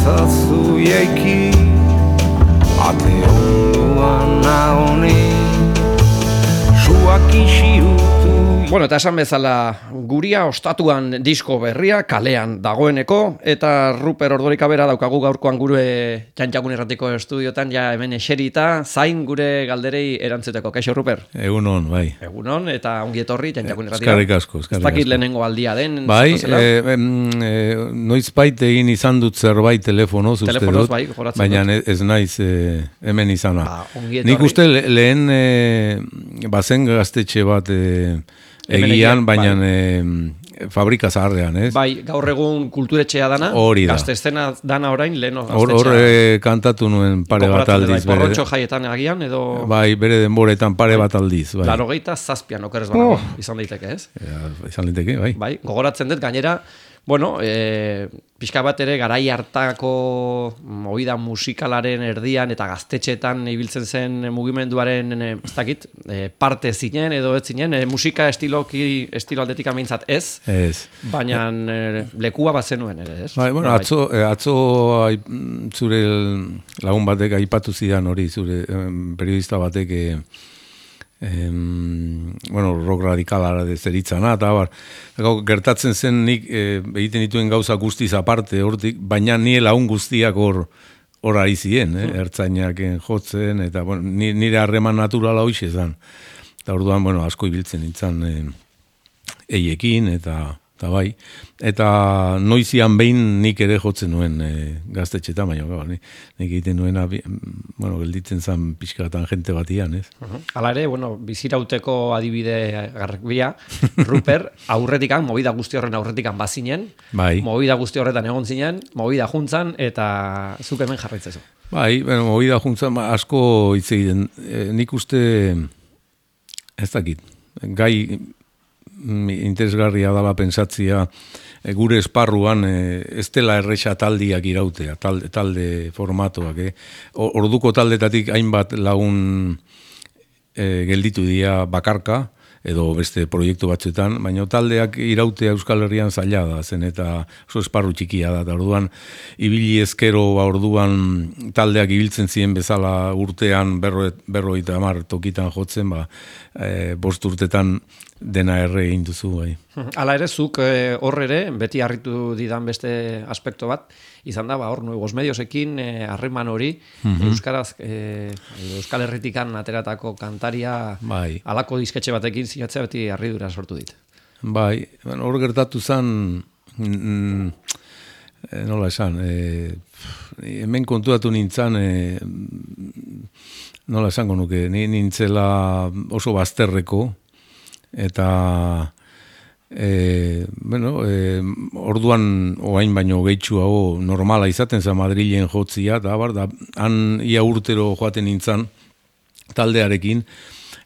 ezazu jaiki ate onduan naoni suak isiutu. Bueno, eta esan bezala guria ostatuan disko berria kalean dagoeneko, eta Ruper Ordorika bera daukagu gaurkoan gure Txantxakun Irratiko estudiotan, ja hemen eserita, zain gure galderei erantzuteko. Kaixo, Ruper? Egunon, bai. Egunon, eta ongi etorri Txantxakun Irratiko. Eskerrik asko. Ez dakit lehenengo aldia den. Bai, noizbait egin izan dut zerbait telefonoz, uste dut, bai, baina ez naiz hemen izana. Nik uste lehen bazen gaztetxe bat egian, baina fabrika zaharrean, ez? Bai, gaur egun kulturetxea dana, hori da. Gaztezena dana orain, leheno gaztetxea. Hor kantatu nuen pare bat aldiz. Porrotxo jaietan agian, edo... Bai, bere denboretan pare bat aldiz. Bai. 87 okerez banago, izan daiteke, ez? Ja, izan daiteke, bai. Bai, gogoratzen dut, gainera, bueno, pixka bat ere garai hartako movida musikalaren erdian eta gaztetxetan ibiltzen zen mugimenduaren ez dakit, parte zinen edo ez zinen, musika estilo aldetik ameintzat ez, baina lekua bat zenuen ere, ez? Bai, bueno, atzo zure lagun batek aipatu zidan hori, zure periodista batek bueno, rock radikalara zeritzana, eta gertatzen zen nik egiten dituen gauza guztiz aparte hortik, baina nie lagun guztiak hor ari ziren, ertzainak jotzen, eta bueno, nire harreman naturala hoxe zen. Eta orduan, bueno, asko ibiltzen nintzen eiekin, eta bai. Eta noizian behin nik ere jotzen nuen gaztetxetan, baina nik egiten nuena, bueno, gelditzen zen pixkatan jente batian, ez? Hala ere, bueno, bizirauteko adibide garbia, Ruper, aurretikan, movida guzti horren aurretikan bazinen, bai. Movida guzti horretan egon zinen, movida juntzan, eta zuk hemen jarraitzezu. Bai, bueno, movida juntzan asko hitz egiten. Nik uste, ez dakit, gai interesgarria dala pentsatzia gure esparruan ez dela erresa taldiak irautea, talde formatoak. Orduko taldetatik hainbat lagun gelditu dira bakarka, edo beste proiektu batzuetan, baina taldeak irautea Euskal Herrian zaila da, zen eta oso esparru txikia da, eta orduan ibili ezkero, orduan taldeak ibiltzen ziren bezala urtean 50 tokitan jotzen, 5 urtetan dena erre egin duzu. Bai. Hala ere, zuk hor ere, beti harritu didan beste aspekto bat, izan da, hor nuevos mediosekin harreman hori, Euskaraz, Euskal Herritikan ateratako kantaria bai. Halako disketxe batekin sinatzea beti harridura sortu dit. Bai, hor gertatu zen, nola esan, hemen kontuatu nintzen, nola esango nuke, nintzela oso bazterreko, eta orduan oain baino gehitxuago normala izaten zen Madrilen jotzia, eta han ia urtero joaten nintzen taldearekin,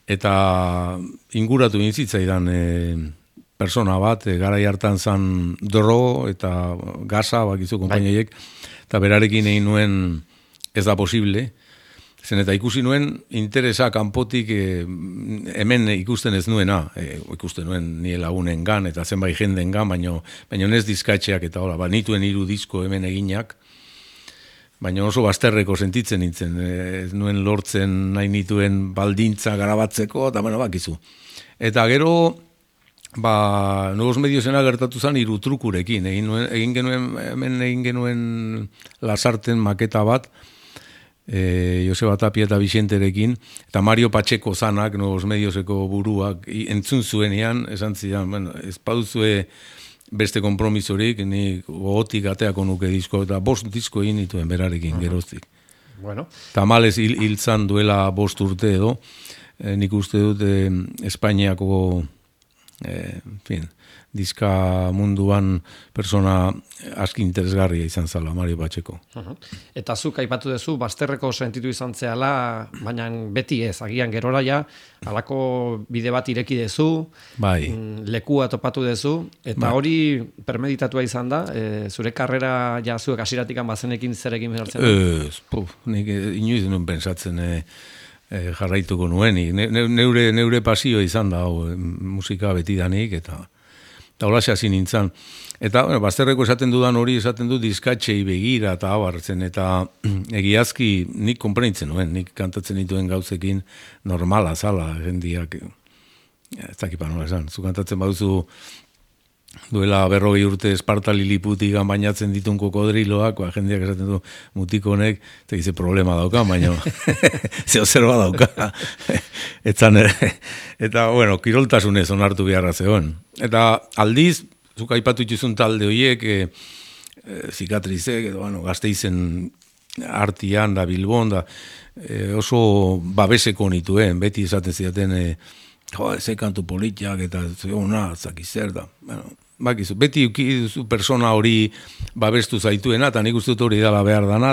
eta inguratu nintzitzaidan persona bat, garai hartan zen Dro eta Gaza, bakizu konpainiek, eta berarekin egin nuen ez da posible, zen eta ikusi nuen interesa kanpotik hemen ikusten ez nuena, ikusten nuen nire lagunen gan, eta zenbait jenden gan, baina ez dizkatxeak eta hola, nituen 3 disko hemen eginak, baina oso bazterreko sentitzen nintzen, ez nuen lortzen nahi nituen baldintza garabatzeko, eta bakizu. Eta gero, Nuevos Mediosena gertatu zen 3 trukurekin, egin genuen Lasarten maketa bat, Joseba Tapia eta Bixenterekin, eta Mario Pacheco zanak, Nuevos Medioseko buruak, entzun zuenean, esan zidan, ez baduzue beste kompromisorik, ni gogotik ateako nuke disko, eta 5 disko egin dituen berarekin geroztik. Bueno. Tamalez hiltzan duela 5 urte edo, nik uste dut Espainiako diska munduan persona aski interesgarria izan zala, Mario Pacheco. Eta zuk aipatu duzu, bazterreko sentitu izan zehala, baina beti ez, agian gerora ja, halako bide bat ireki dezu, bai. Lekua topatu dezu, eta hori permeditatua izan da, zure karrera ja zuek hasieratikan bazenekin zerekin behartzen da? Nik inoiz nuen pensatzen jarraituko nuenik. Neure pasio izan da, musika betidanik, eta eta holaxe hasi nintzen. Eta, bueno, bazterreko esaten dudan hori esaten du diskatxei begira eta abartzen, eta egiazki nik konprenitzen nuen, nik kantatzen dituen gauzekin normala zala, jendiak, ez dakipa nola esan, zu kantatzen baduzu duela 40 urte Esparta Liliputigan bainatzen ditun kokodriloak, jendeak esaten du mutiko honek, eta gize problema dauka, baina zeo zerba dauka. Eta, bueno, kiroltasunez onartu beharra zegoen. Eta aldiz, zuk aipatu ituzun talde horiek, zikatrizek, edo, bueno, Gasteizen artian da Bilbon, da, oso babeseko nituen, beti esaten zidaten, ze kantu politiak, eta zeona, zakizer da, bueno, bakizu, beti duzu persona hori babestu zaituena, eta nik uste dut hori dela behar dana,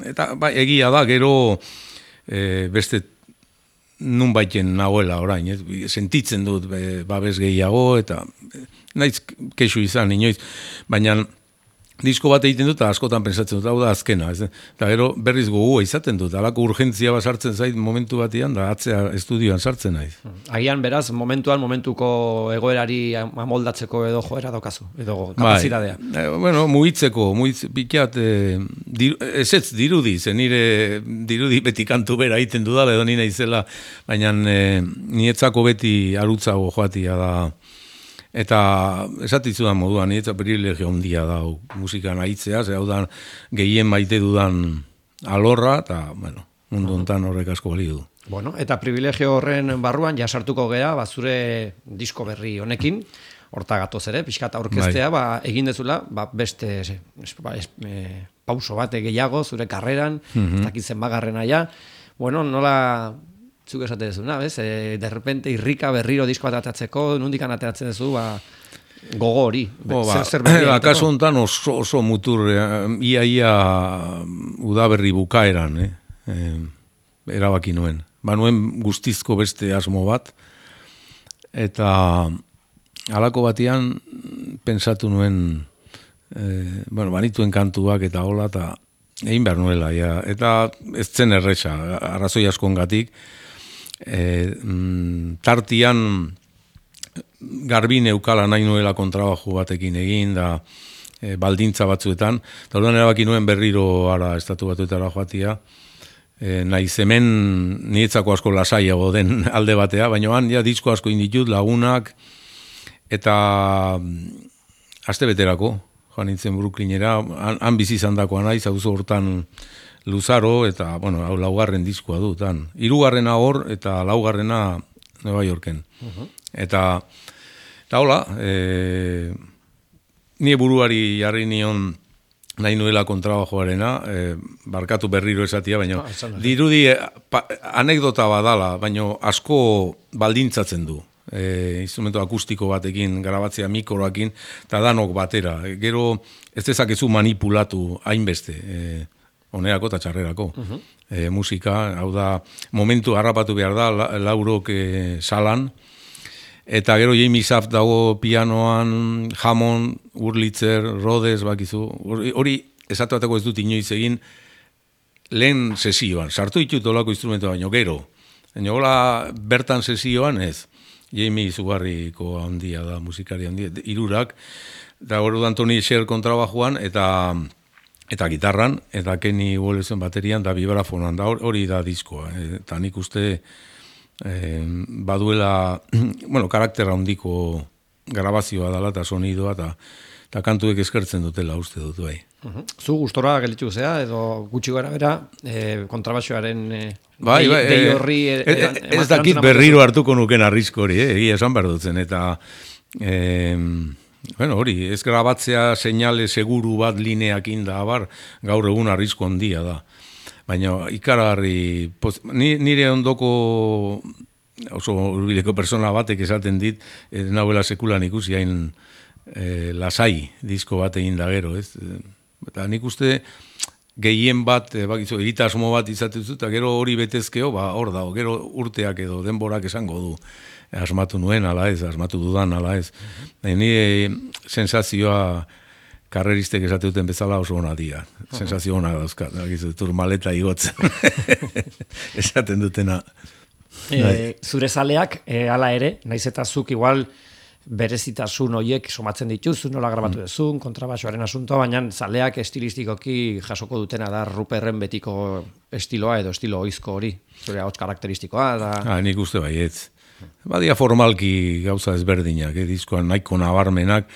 eta bai, egia da, gero beste nun baiten nagoela orain, sentitzen dut babes gehiago, eta naiz kexu izan, inoiz, baina disko bat egiten dut, eta askotan pensatzen dut, hau da azkena, eta gero berriz gogua izaten dut, alako urgentzia bat sartzen zait momentu batian, da atzea estudioan sartzen naiz. Agian beraz, momentuko egoerari amoldatzeko edo joera daukazu, edo kapazitatea. Bueno, pikat, ez dirudi, nire dirudi beti kantu bera egiten dudala, edo nina izela, baina nietzako beti arutzago joatia da. Eta esatizu da moduan, eta privilegio handia da musikan aitzea, hau da gehien maite dudan alorra, eta, bueno, mundu hontan horrek asko balio du. Bueno, eta privilegio horren barruan jasartuko gera, zure disko berri honekin, horta gatoz ere, pixkat aurkeztea, egin dezula, beste pauso bate gehiago, zure karreran, ez dakitzen bagarren aia, bueno, nola... Zuk esate dezu, bez? De repente irrika berriro disko bat atatzeko, nundikan ateratzen dezu, gogo hori. Akaso hontan oso mutur, ia udaberri bukaeran, erabaki nuen. Nuen guztizko beste asmo bat, eta halako batian pensatu nuen, banituen kantuak eta hola, eta egin behar nuela, eta ez zen erresa, arrazoi askongatik, tartian garbi neukala nahi nuela kontrabaju batekin egin da baldintza batzuetan, eta orduan erabaki nuen berriro ara estatu batuetara joatia, naiz hemen nietzako asko lasaiago den alde batea, baina han disko asko inditut lagunak, eta aste beterako joan nintzen Brooklynera, han bizi izandakoa naiz, auzo hortan Luzaro, eta, bueno, hau laugarren diskoa du, hirugarrena hor, eta laugarrena Nueva Yorken. Eta hola, nire buruari jarri nion nahi nuela kontrabajoarena, barkatu berriro esatia, baina dirudi anekdota badala, baina asko baldintzatzen du. Instrumento akustiko batekin, grabatzea mikroakin, eta danok batera. Gero ez dezakezu manipulatu hainbeste, onerako eta txarrerako. Musika, hau da, momentu harrapatu behar da, laurok salan, eta gero Jamie Saft dago pianoan, Hammond, Wurlitzer, Rhodes, bakizu, hori esatu bateko ez dut inoiz egin, lehen sesioan, sartu ditut olako instrumentu baino, gero, hola bertan sesioan ez, Jamie izugarriko handia da, musikari handia, hirurak, eta hori da Tony Sher kontrabajoan, eta gitarran, eta Kenny Wallace baterian, da vibrafonan, da hori da diskoa. Eta nik uste baduela, bueno, karaktera handiko grabazioa dela, eta sonidoa, eta kantuek eskertzen dutela uste dut, bai. Zu gustora gelditu zea, edo gutxi gara bera, kontrabaxoaren dei horri... Ez dakit berriro hartuko nuken arrisko hori, egia esan behar dutzen, eta... Bueno, hori, ez grabatzea seinale seguru bat lineakin da, gaur egun arrizko handia da. Baina ikaragarri, nire ondoko oso hurbileko persona batek esaten dit, nahuela sekulan ikusi hain lasai disko bat egin da gero, ez? Eta nik uste gehien bat, egitasmo bat izatezu, eta gero hori betezkeo, hor dago, gero urteak edo denborak esango du. Asmatu nuen, ala ez, asmatu dudan, ala ez. Ni sensazioa karreristek esate duten bezala oso hona dira. Sensazio hona dauzka, turmaleta igotzen. Esaten dutena. Zure zaleak, ala ere, naiz eta zuk igual berezitasun horiek somatzen dituzu, nola grabatu duzun, kontrabaxoaren asuntoa, baina zaleak estilistikoki jasoko dutena da Ruperren betiko estiloa edo estilo oizko hori, zure ahots karakteristikoa. Da... Nik uste baietz. Badia formalki gauza ezberdinak, diskoan nahiko nabarmenak,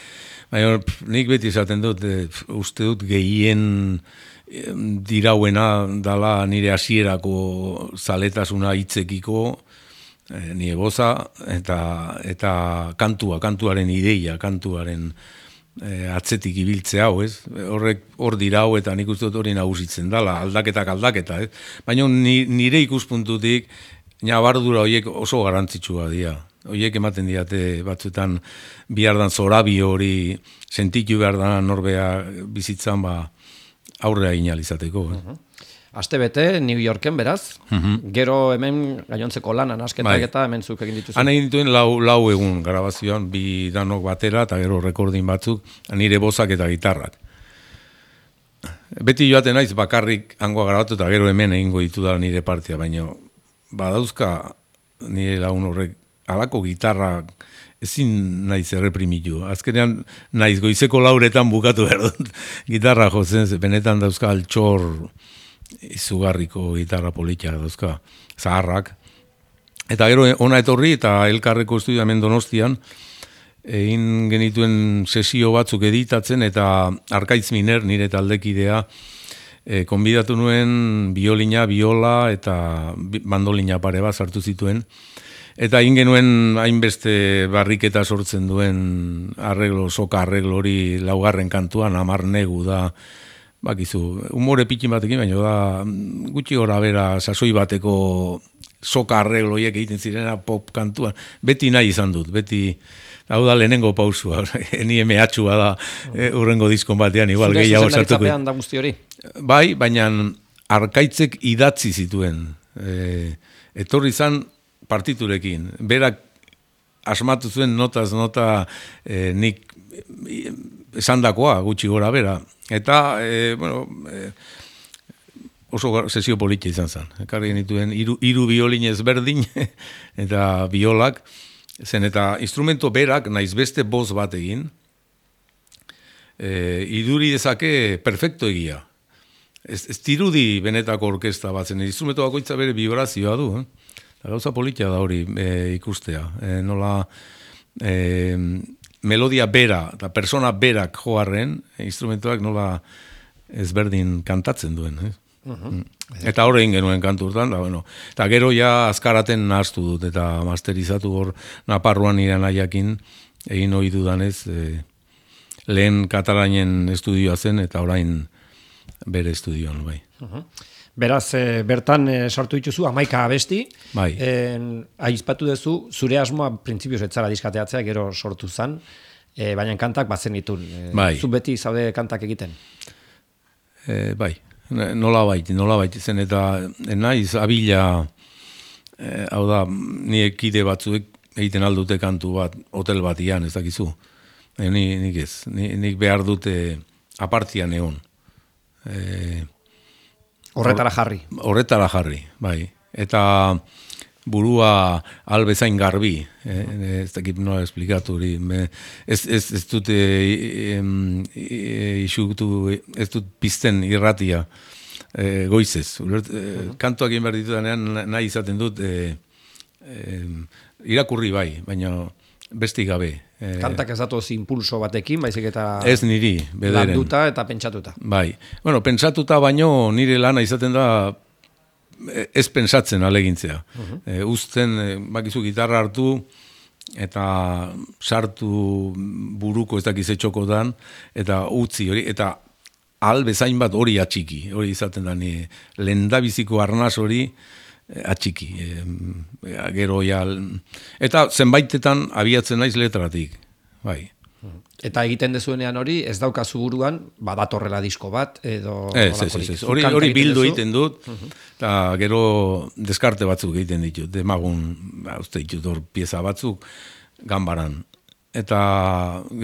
baina nik beti esaten dut, uste dut gehien dirauena dala nire hasierako zaletasuna hitzekiko, nire goza eta kantuaren ideia, kantuaren atzetik ibiltzea hau, ez? Hor dirau eta nik uste dut hori nagusitzen dala, aldaketa, ez? Baina nire ikuspuntutik nabardura horiek oso garrantzitsua dira. Horiek ematen diate batzuetan bihardan zorabi hori sentitu behar da norbea bizitzan aurrea inalizateko. Aste bete, New Yorken beraz, gero hemen gainontzeko lanan asketak eta hemen zuk egin dituzu. Han egin dituen lau egun grabazioan, bi danok batera eta gero rekordin batzuk, nire bozak eta gitarrak. Beti joaten naiz bakarrik hangoa grabatu eta gero hemen egingo ditu da nire partia, baina badauzka nire lagun horrek alako gitarrak ezin naiz erreprimitu. Azkenean naiz goizeko lauretan bukatu behar dut gitarra jotzen, benetan dauzka altxor izugarriko gitarra politia dauzka, zaharrak. Eta gero ona etorri eta elkarreko estudio hemen Donostian, egin genituen sesio batzuk editatzen eta Arkaitz Miner, nire taldekidea, konbidatu nuen biolina, biola eta mandolina pare bat sartu zituen. Eta egin genuen hainbeste barriketa sortzen duen soka arreglo hori laugarren kantuan, Amar Negu da, bakizu, umore pitin batekin, baina da gutxi gora bera sasoi bateko soka arregloiek egiten zirena pop kantuan. Beti nahi izan dut, beti, hau da lehenengo pausua, ni mehatxua da urrengo diskon batean, igual gehiago sartuko. Zure zuzendaritzapean da guzti hori? Bai, baina Arkaitzek idatzi zituen. Etorri izan partiturekin. Berak asmatu zuen notaz nota nik esandakoa gutxi gora bera. Eta, oso sesio politia izan zen. Ekarri genituen hiru biolin ezberdin eta biolak. Zen eta instrumento berak naiz beste boz bat egin. Iduri dezake perfecto egia. Ez dirudi benetako orkesta bat zen. Instrumento bakoitza bere vibrazioa du. Gauza politia da hori ikustea. Nola melodia bera eta persona berak joarren, instrumentoak nola ezberdin kantatzen duen. Eta hor egin genuen kantu urtan, eta gero ja azkaraten nahaztu dut, eta masterizatu hor Naparruan nire nahiakin egin hori dudanez, lehen Katalainen estudioa zen, eta orain bere estudioan, bai. Beraz, bertan sartu dituzu 11 abesti. Bai. Aizpatu duzu, zure asmoa printzipioz etzara diskateatzea gero sortu zan, baina kantak bazen ditun. Bai. Zu beti zaude kantak egiten? Bai, nola baiti zen, eta naiz abila, hau da, nire kide batzuek egiten aldute kantu bat, hotel batian, ez dakizu. Nik ez, nik behar dute apartian egon. Horretara jarri. Horretara jarri, bai. Eta burua albezain garbi, ez dakit nola esplikatu hori. Ez dut ez dut pizten irratia goizez. Kantuak egin behar ditudanean nahi izaten dut irakurri bai, baina besti gabe. Kantak ez datoz impulso batekin, baizik eta ez niri, bederen. Landuta eta pentsatuta. Bai. Bueno, pentsatuta baino nire lana izaten da ez pentsatzen alegintzea. Uzten, bakizu gitarra hartu eta sartu buruko ez dakiz etxokotan eta utzi hori, eta bezain bat hori atxiki. Hori izaten da nire lehendabiziko arnaz hori atxiki. Gero ja... Eta zenbaitetan abiatzen naiz letratik. Bai. Eta egiten dezuenean hori, ez daukazu buruan, badatorrela disko bat, edo... Ez. Hori bildu egiten dut, eta gero deskarte batzuk egiten ditut. Demagun, uste ditut hor pieza batzuk, ganbaran. Eta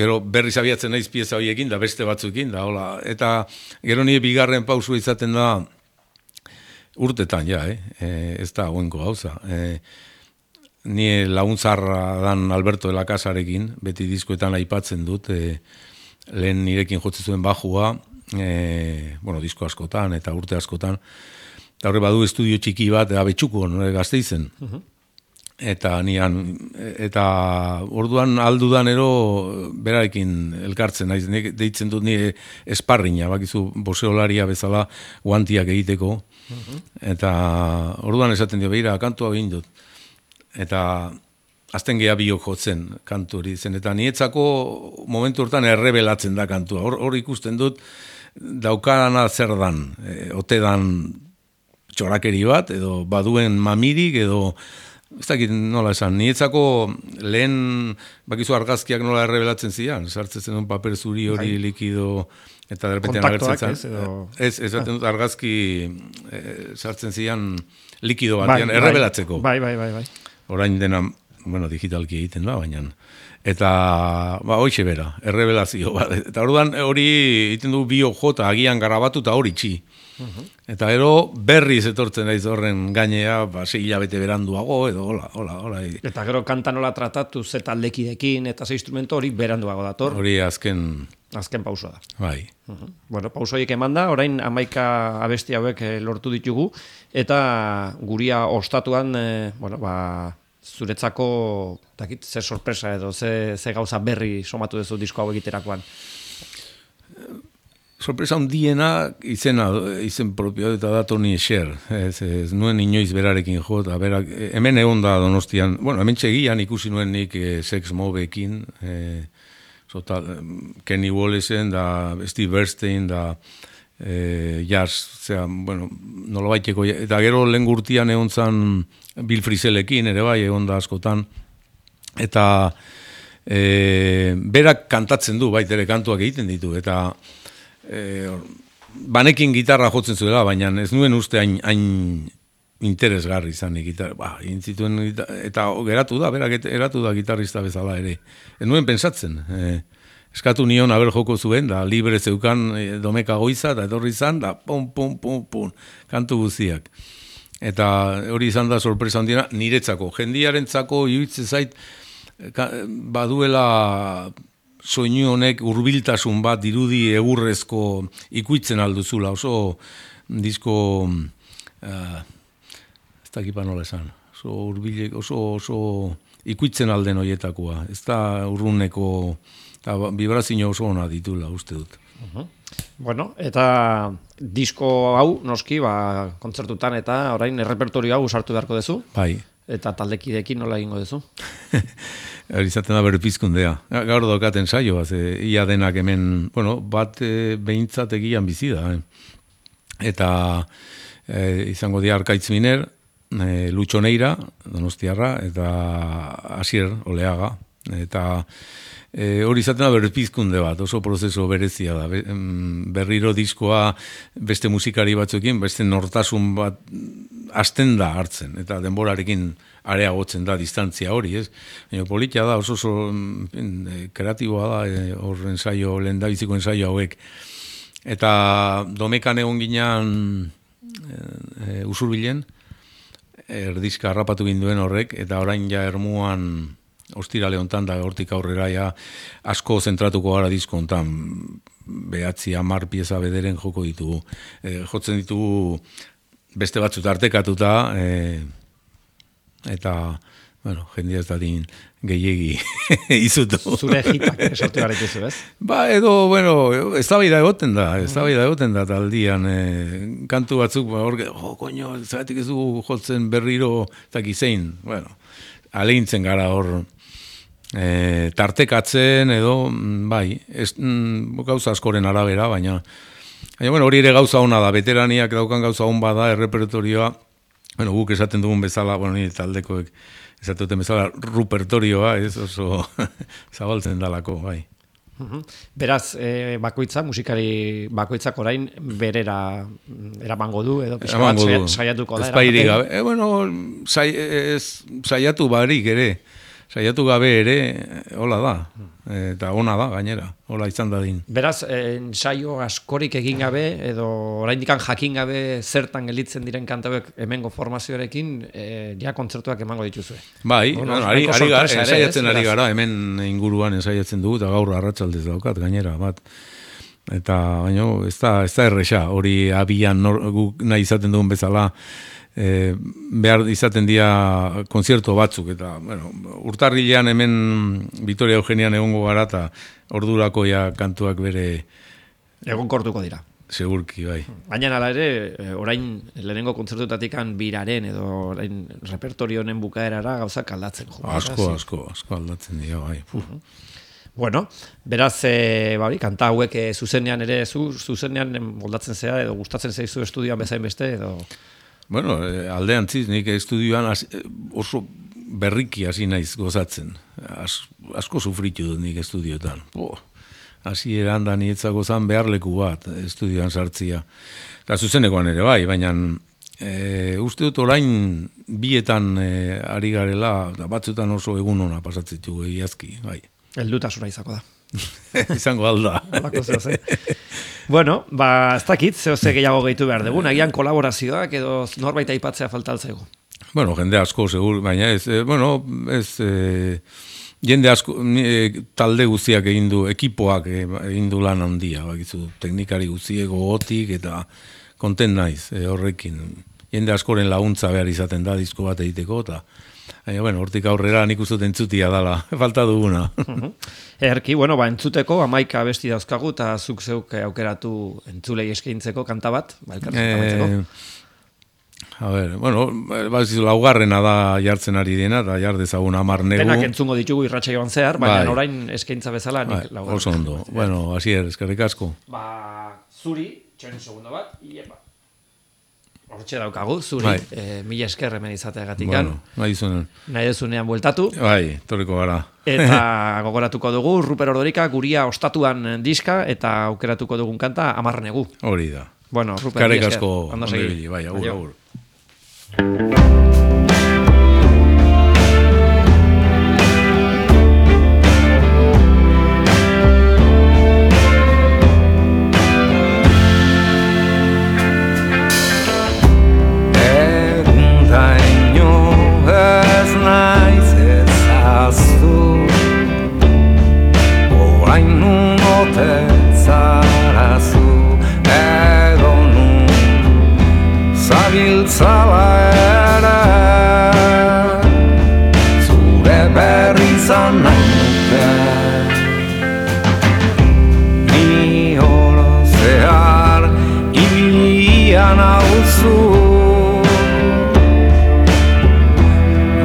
gero berriz abiatzen naiz pieza horiekin, da beste batzuekin, da hola. Eta gero nire bigarren pausu izaten da, urtetan, ja, ez da goenko gauza. ni laguntzarra dan Alberto de la Casarekin, beti diskoetan aipatzen dut, lehen nirekin jotzen zuen bajua, disko askotan eta urte askotan, eta horre badu estudio txiki bat, Abetxukon, Gasteizen. Eta eta orduan aldudan berarekin elkartzen naiz, deitzen dut ni esparrina, bakizu boxeolaria bezala guantiak egiteko. Eta orduan esaten dio, beira, kantua egin dut. Eta azten geha biok jotzen kantu hori zen. Eta nietzako momentu hortan errebelatzen da kantua. Hor ikusten dut daukana zer dan, ote dan txorakeri bat, edo baduen mamirik, edo ez dakit nola esan, nietzako lehen bakizu argazkiak nola errebelatzen zian, sartzen un paper zuri hori likido, eta derrepentean agertzen zen. Ez dut argazki sartzen zian likido batean, errebelatzeko. Bai. Orain dena, digitalki egiten da, baina. Eta, hoxe bera, errebelazio. Eta orduan hori egiten du bio jota, agian garabatu eta hori txi. Eta berriz etortzen naiz horren gainea, 6 hilabete beranduago, edo hola. Eta gero kanta nola tratatu ze taldekidekin eta ze instrumento hori beranduago dator. Hori azken pausua da. Bai. Pauso horiek eman da, orain 11 abesti hauek lortu ditugu, eta guria ostatuan, zuretzako, ze sorpresa edo, ze gauza berri somatu duzu disko hau egiterakoan. Sorpresa handiena izen propio eta da Toni Escher. Ez nuen inoiz berarekin jo, eta berak, hemen egon da Donostian, hemen txegian ikusi nuen nik Sex Mobekin, Kenny Wallesen, da Steve Bernstein, da jazz, nolabaiteko, eta gero lehen gurtian egon zan Bill Frisellekin, ere bai, egon da askotan, eta berak kantatzen du, baitere kantuak egiten ditu, eta banekin gitarra jotzen zuela, baina ez nuen uste hain interesgarri izanik gitarra, eta geratu da, berak eratu da gitarrista bezala ere. Ez nuen pensatzen, eskatu nion aber joko zuen, da libre zeukan Domeka Goiza, eta etorri izan, da pum, kantu guztiak. Eta hori izan da sorpresa handiena niretzako. Jendiarentzako iruditzen zait baduela soinu honek hurbiltasun bat dirudi egurrezko ikuitzen alduzula. Oso disko ez dakipa nola esan. Oso ikuitzen alden hoietakoa. Ez da urruneko vibrazio oso ona ditula uste dut. Eta disko hau, noski, kontzertutan eta orain errepertorio hau sartu beharko duzu. Bai. Eta taldekidekin nola egingo duzu? Hori izaten da berpizkundea. Gaur daukaten saio, ia denak hemen, bat behintzat egian bizi da. Eta izango dira Arkaitz Miner, Lutxo Neira, Donostiarra, eta Asier Oleaga. Eta hori izaten da berpizkunde bat, oso prozeso berezia da. Berriro diskoa beste musikari batzuekin, beste nortasun bat hasten da hartzen, eta denborarekin areagotzen da distantzia hori, ez? Baina politia da, oso kreatiboa da, hor ensaio, lehendabiziko ensaio hauek. Eta Domekan egon ginean Usurbilen, erdizka harrapatu ginduen horrek, eta orain ja Ermuan ostirale hontan da hortik aurrera ja asko zentratuko gara disko hontan 9-10 pieza bederen joko ditugu. Jotzen ditugu beste batzut artekatuta eta jendia ez dadin gehiegi izutu. Zure hitak sortu garetuzu, ez? Eztabaida egoten da taldian kantu batzuk koño, zeratik ez dugu jotzen berriro eta gizein, alegintzen gara hor tartekatzen edo, gauza askoren arabera, baina hori ere gauza hona da, veteraniak daukan gauza hon bada, errepertorioa, guk esaten dugun bezala, nire taldekoek esaten duten bezala, rupertorioa, ez oso zabaltzen dalako, bai. Beraz, musikari bakoitzak orain berera eramango du, edo saiatuko da. Espairik gabe, saiatu barik ere, saiatu gabe ere, hola da, eta ona da, gainera, hola izan dadin. Beraz, ensaio askorik egin gabe, edo oraindikan jakin gabe zertan gelditzen diren kantauek hemengo formazioarekin, ja kontzertuak emango dituzue. Bai, ensaiatzen ari gara, hemen inguruan ensaiatzen dugu, eta gaur arratsaldez daukat, gainera, bat. Eta, baina, ez da erresa, hori abian guk nahi izaten dugun bezala, behar izaten dira konzertu batzuk, eta, bueno, urtarrilean hemen Vitoria Eugenian egongo gara, eta ordurako ja kantuak bere... Egonkortuko dira. Segurki, bai. Baina hala ere, orain lehenengo kontzertutatikan biraren, edo orain repertorio honen bukaerara gauzak aldatzen. Asko aldatzen dira, bai. Bueno, beraz, kanta hauek zuzenean ere, zuzenean moldatzen zea, edo gustatzen zaizu estudioan bezain beste, edo... Bueno, aldeantziz, nik estudioan oso berriki hasi naiz gozatzen. Asko sufritu dut nik estudioetan. Hasi eranda nietzako zan beharleku bat estudioan sartzia. Eta zuzenekoan ere bai, baina uste dut orain bietan ari garela, batzutan oso egun ona pasatzitu egiazki, bai. Heldutasuna izako da. Izango alda. Bueno, ez dakit, zehose gehiago gehitu behar dugu, agian kolaborazioak edo norbait aipatzea faltaltzego. Bueno, jende asko, segur, baina jende asko, talde guztiak egin du, ekipoak egin du lan handia, bakizu, teknikari guztiek gogotik eta kontent naiz horrekin. Jende askoren laguntza behar izaten da disko bat egiteko, eta bueno, hortik aurrera nik uste entzutia dala, falta duguna. Erki, entzuteko 11 abesti dauzkagu, eta zuk zeuk aukeratu entzulei eskaintzeko kanta bat, elkartzen A ver, laugarrena da jartzen ari dena, eta jar dezagun 10 negu. Denak entzungo ditugu irratsaioan zehar, baina orain eskaintza bezala nik laugarrena. Oso ondo. Bueno, Asier, eskerrik asko. Zuri, txoin segundo bat, iepa. Hortxe daukagu, zuri, mila esker hemen izateagatikan. Bueno, nahi dezunean bueltatu. Bai, torriko gara. Eta gogoratuko dugu, Ruper Ordorika guria ostatuan diska, eta aukeratuko dugun kanta 10 negu. Hori da. Bueno, Ruper, mila esker. Ondo segi. Bai, agur. Zabiltzala ere zure berri izan nahi nuke ni oro zehar ibilian hauzu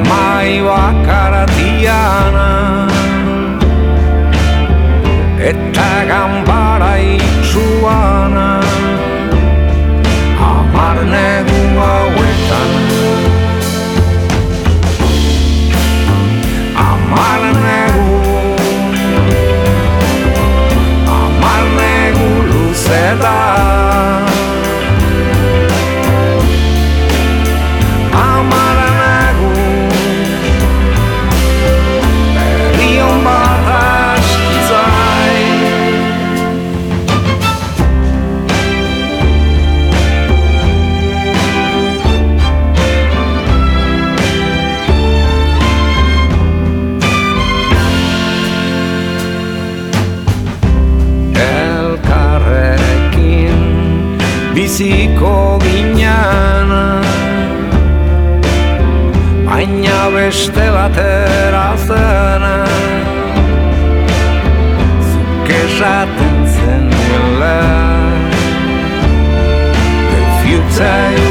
mai bakaratiana eta ganbara itxuana 10 negu hauetan 10 negu luze da 10 negu berri on bat aski zain. Biziko ginean baina beste batera zena zuk esaten zenuela the future